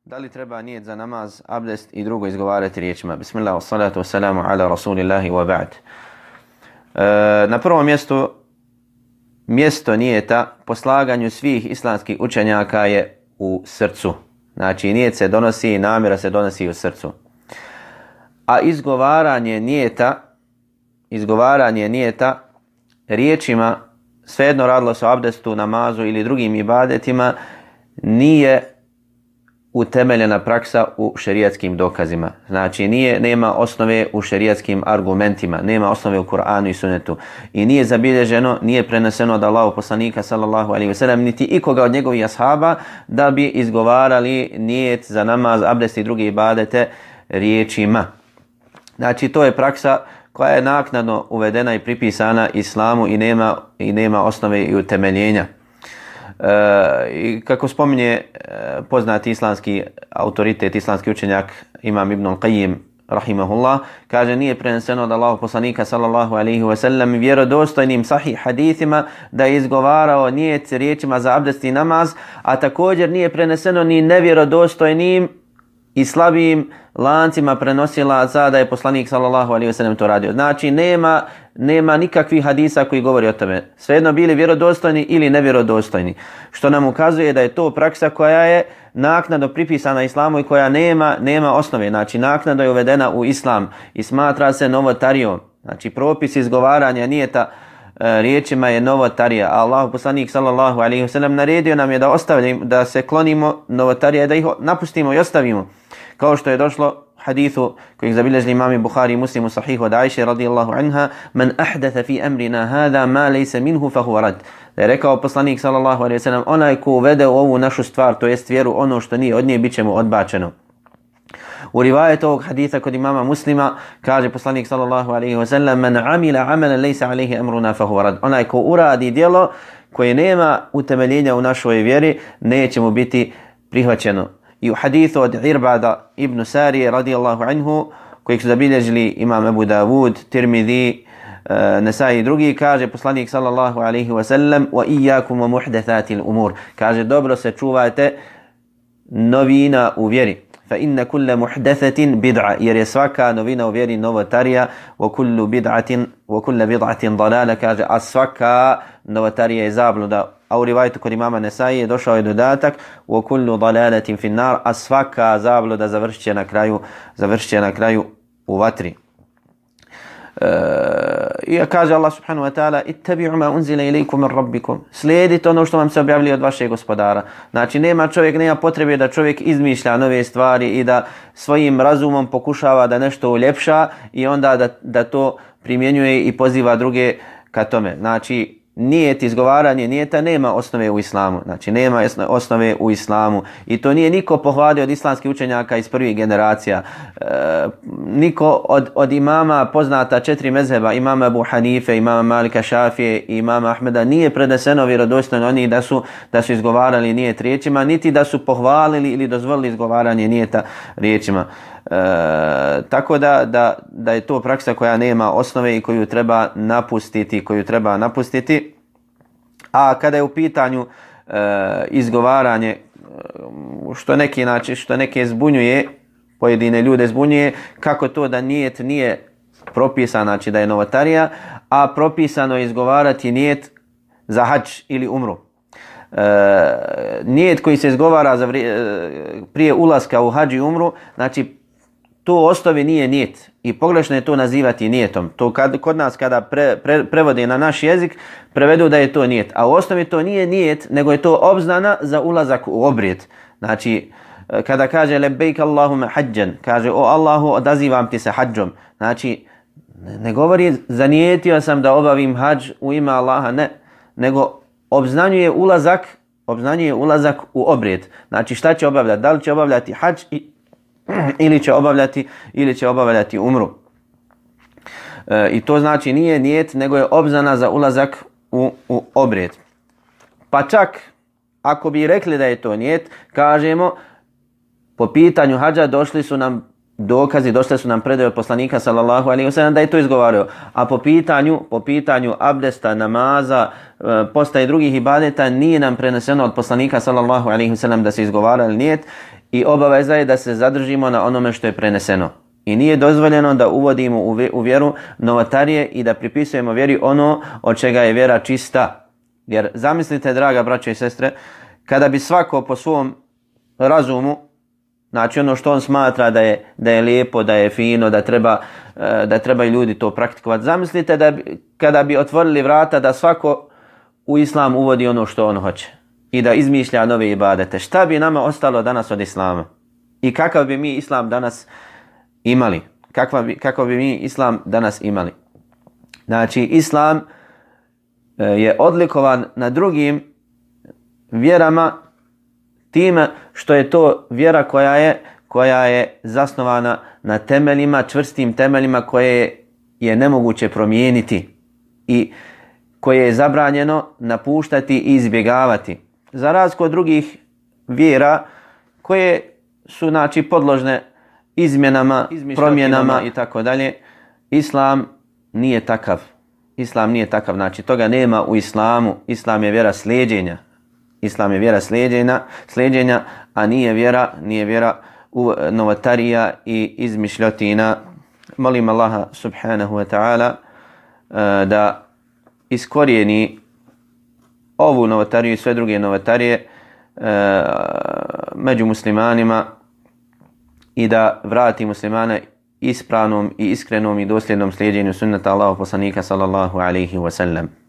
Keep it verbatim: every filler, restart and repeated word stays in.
Da li treba nijet za namaz, abdest i drugo izgovarati riječima? Bismillah, wassalatu wassalamu ala rasulillahi wa ba'd. E, na prvom mjestu, mjesto nijeta po slaganju svih islamskih učenjaka je u srcu. Znači, nijet se donosi, namjera se donosi u srcu. A izgovaranje nijeta, izgovaranje nijeta riječima, svejedno radilo se o abdestu, namazu ili drugim ibadetima, nije utemeljena praksa u šerijatskim dokazima. Znači, nije, nema osnove u šerijatskim argumentima, nema osnove u Kur'anu i Sunnetu. I nije zabilježeno, nije preneseno od Allahu poslanika sallallahu alejhi ve sellem niti ikoga od njegovih ashaba da bi izgovarali nijet za namaz, abdest i druge ibadete riječima. Znači, to je praksa koja je naknadno uvedena i pripisana islamu i nema, i nema osnove i utemeljenja. E, i kako spominje e, poznati islamski autoritet, islamski učenjak Imam Ibn Qayyim rahimahullah, kaže nije preneseno od Allahog poslanika sallallahu alejhi ve sellem vjerodostojnim sahih hadithima da je izgovarao nijet riječima za abdest i namaz, a također nije preneseno ni nevjerodostojnim i slabijim lancima prenosilaca da je poslanik sallallahu alejhi ve sellem to radio. Znači nema nema nikakvih hadisa koji govori o tome. Svejedno bili vjerodostojni ili nevjerodostojni. Što nam ukazuje da je to praksa koja je naknadno pripisana islamu i koja nema nema osnove. Znači naknadno je uvedena u islam i smatra se novotarijom. Znači propis izgovaranja nijeta e, riječima je novotarija. A Allah poslanik sallallahu alejhi ve sellem naredio nam je da ostavimo, da se klonimo novotarija, da ih napustimo i ostavimo. Kao što je došlo hadithu kojeg zabilježili imami Buhari i Muslim u sahihu od Ajše radijallahu anha, man ahdatha fi amrina hada ma laysa minhu fa huwa rad. Da je rekao poslanik sallallahu alejhi ve sellem, onaj ko uvede u ovu našu stvar, to jest vjeru, ono što nije od nje, bit će mu odbačeno. U rivajetu ovog haditha kod imama Muslima kaže poslanik sallallahu alejhi ve sellem, man amila amalan laysa alayhi amruna fa huwa rad. Onaj ko uradi djelo koje nema utemeljenja u našoj vjeri, neće mu biti prihvaćeno. I u hadithu od Irbada ibn Sarije radijallahu anhu, kojeg su zabilježili imam Abu Dawud, Tirmidhi, uh, Nesai i drugi, kaže poslanik sallallahu alaihi wa sallam, wa iyakum wa muhdathatil umur. Kaže, dobro se čuvajte novina u vjeri. Fa inna kulla muhdathatin bid'a, jer je svaka novina u vjeri novotarija, wa kullu bid'atin wa kulla bid'atin dalala, kaže, a svaka novotarija je zabluda. A u rivajetu kod imama Nesai je došao je dodatak wa kullu dalalatin fin nar, a svaka zabluda završit će na kraju, završit će na kraju u vatri. E, I kaže Allah subhanahu wa ta'ala, ittabi'u ma unzila ilaykum min rabbikum, slijedite ono što vam se objavili od vašeg gospodara. Znači nema čovjek, nema potrebe da čovjek izmišlja nove stvari i da svojim razumom pokušava da nešto uljepša i onda da, da to primjenjuje i poziva druge ka tome. Znači nijet, izgovaranje nijeta nema osnove u islamu. Znači nema osnove u islamu. I to nije niko pohvalio od islamskih učenjaka iz prvih generacija. E, niko od, od imama poznata četiri mezheba, imama Abu Hanife, imama Malika Šafije i imama Ahmeda, nije preneseno vjerodostojno oni da su, da su izgovarali nijet riječima, niti da su pohvalili ili dozvolili izgovaranje nijeta riječima. E, tako da, da, da je to praksa koja nema osnove i koju treba napustiti, koju treba napustiti. A kada je u pitanju e, izgovaranje, što neki znači, što neke zbunjuje, pojedine ljude zbunjuje, kako to da nijet nije propisan, znači da je novotarija, a propisano je izgovarati nijet za hadž ili umru. E, nijet koji se izgovara za vrije, prije ulaska u hadž i umru, znači to u osnovi nije nijet i pogrešno je to nazivati nijetom. To kad, kod nas kada pre, pre, prevode na naš jezik, prevedu da je to nijet. A u osnovi to nije nijet, nego je to obznana za ulazak u obrijed. Znači, kada kaže lebejk Allahume hađan, kaže o Allahu odazivam ti se hađom. Znači, ne govori zanijetio sam da obavim hađ u ime Allaha, ne. Nego obznanjuje ulazak, obznanjuje ulazak u obrijed. Znači, šta će obavljati? Da li će obavljati hađ i ili će obavljati ili će obavljati umru. E, I to znači nije nijet, nego je obznana za ulazak u, u obrijed. Pa čak ako bi rekli da je to nijet, kažemo po pitanju hadža došli su nam dokazi, došli su nam predaje od poslanika sallallahu alejhi ve sellem da je to izgovario. A po pitanju, po pitanju abdesta, namaza, posta i drugih ibadeta nije nam preneseno od poslanika sallallahu alejhi ve sellem da se izgovarali nijet. i obaveza je da se zadržimo na onome što je preneseno. I nije dozvoljeno da uvodimo u vjeru novotarije i da pripisujemo vjeri ono od čega je vjera čista. Jer zamislite, draga braćo i sestre, kada bi svako po svom razumu, znači ono što on smatra da je, da je lijepo, da je fino, da treba, da treba i ljudi to praktikovati. Zamislite da bi, kada bi otvorili vrata da svako u islam uvodi ono što on hoće i da izmišlja nove ibadete. Šta bi nama ostalo danas od islama? I kakav bi mi islam danas imali? Kakva bi, kako bi mi islam danas imali? Znači, islam je odlikovan na drugim vjerama time što je to vjera koja je, koja je zasnovana na temeljima, čvrstim temeljima koje je nemoguće promijeniti i koje je zabranjeno napuštati i izbjegavati. Za razliku od drugih vjera koje su, znači, podložne izmjenama, promjenama i tako dalje, islam nije takav. Islam nije takav, znači toga nema u islamu. Islam je vjera slijeđenja. Islam je vjera slijeđenja, slijeđenja, a nije vjera, nije vjera u novotarija i izmišljotina. Molim Allaha subhanahu wa ta'ala da iskorijeni ovu novotariju i sve druge novotarije među muslimanima i da vrati muslimane ispravnom i iskrenom i dosljednom slijedjenju sunnata Allahov poslanika sallallahu alaihi wa sallam.